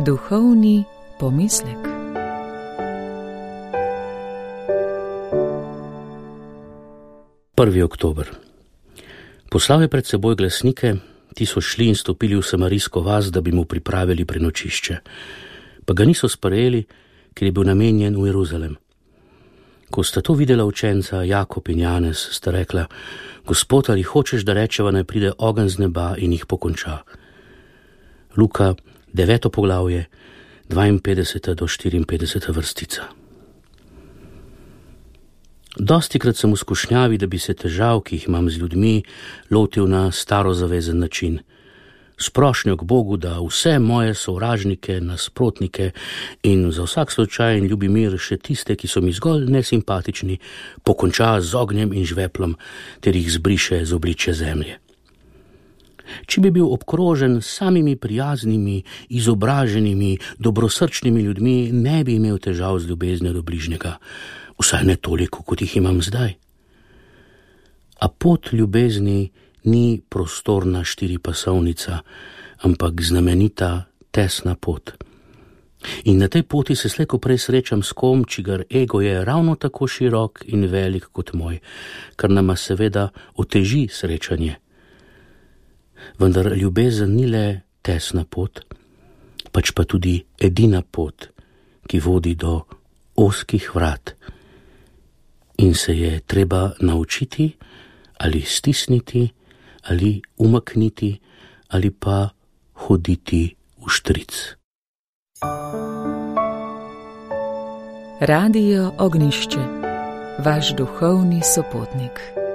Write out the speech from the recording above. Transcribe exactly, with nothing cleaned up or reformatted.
Duhovni pomislek. prvi oktober. Poslal je pred seboj glasnike, ti so šli in stopili v samarijsko vas, da bi mu pripravili prenočišče. Pa ga niso sprejeli, ker je bil namenjen v Jeruzalem. Ko sta to videla učenca Jakob in Janez, sta rekla: Gospod, ali hočeš, da rečeva, naj pride ogenj z neba in jih pokonča? Luka, deveto poglavje, dvainpetdeseta do štiriinpetdeseta vrstica. Dostikrat sem v skušnjavi, da bi se težav, ki jih imam z ljudmi, lotil na starozavezen način. S prošnjo k Bogu, da vse moje sovražnike, nasprotnike in za vsak slučaj in ljubi mir še tiste, ki so mi zgolj nesimpatični, pokonča z ognjem in žveplom ter jih zbriše z obličja zemlje. Če bi bil obkrožen s samimi prijaznimi, izobraženimi, dobrosrčnimi ljudmi, ne bi imel težav z ljubeznijo do bližnjega, vsaj ne toliko, kot jih imam zdaj. A pot ljubezni ni prostorna štiripasovnica, ampak znamenita tesna pot. In na tej poti se slej ko prej srečam s kom, čigar ego je ravno tako širok in velik kot moj, kar nama seveda oteži srečanje. Vendar ljubezen ni le tesna pot, pač pa tudi edina pot, ki vodi do ozkih vrat. In se je treba naučiti ali stisniti, ali umakniti, ali pa hoditi v štric. Radio Ognjišče, vaš duhovni sopotnik.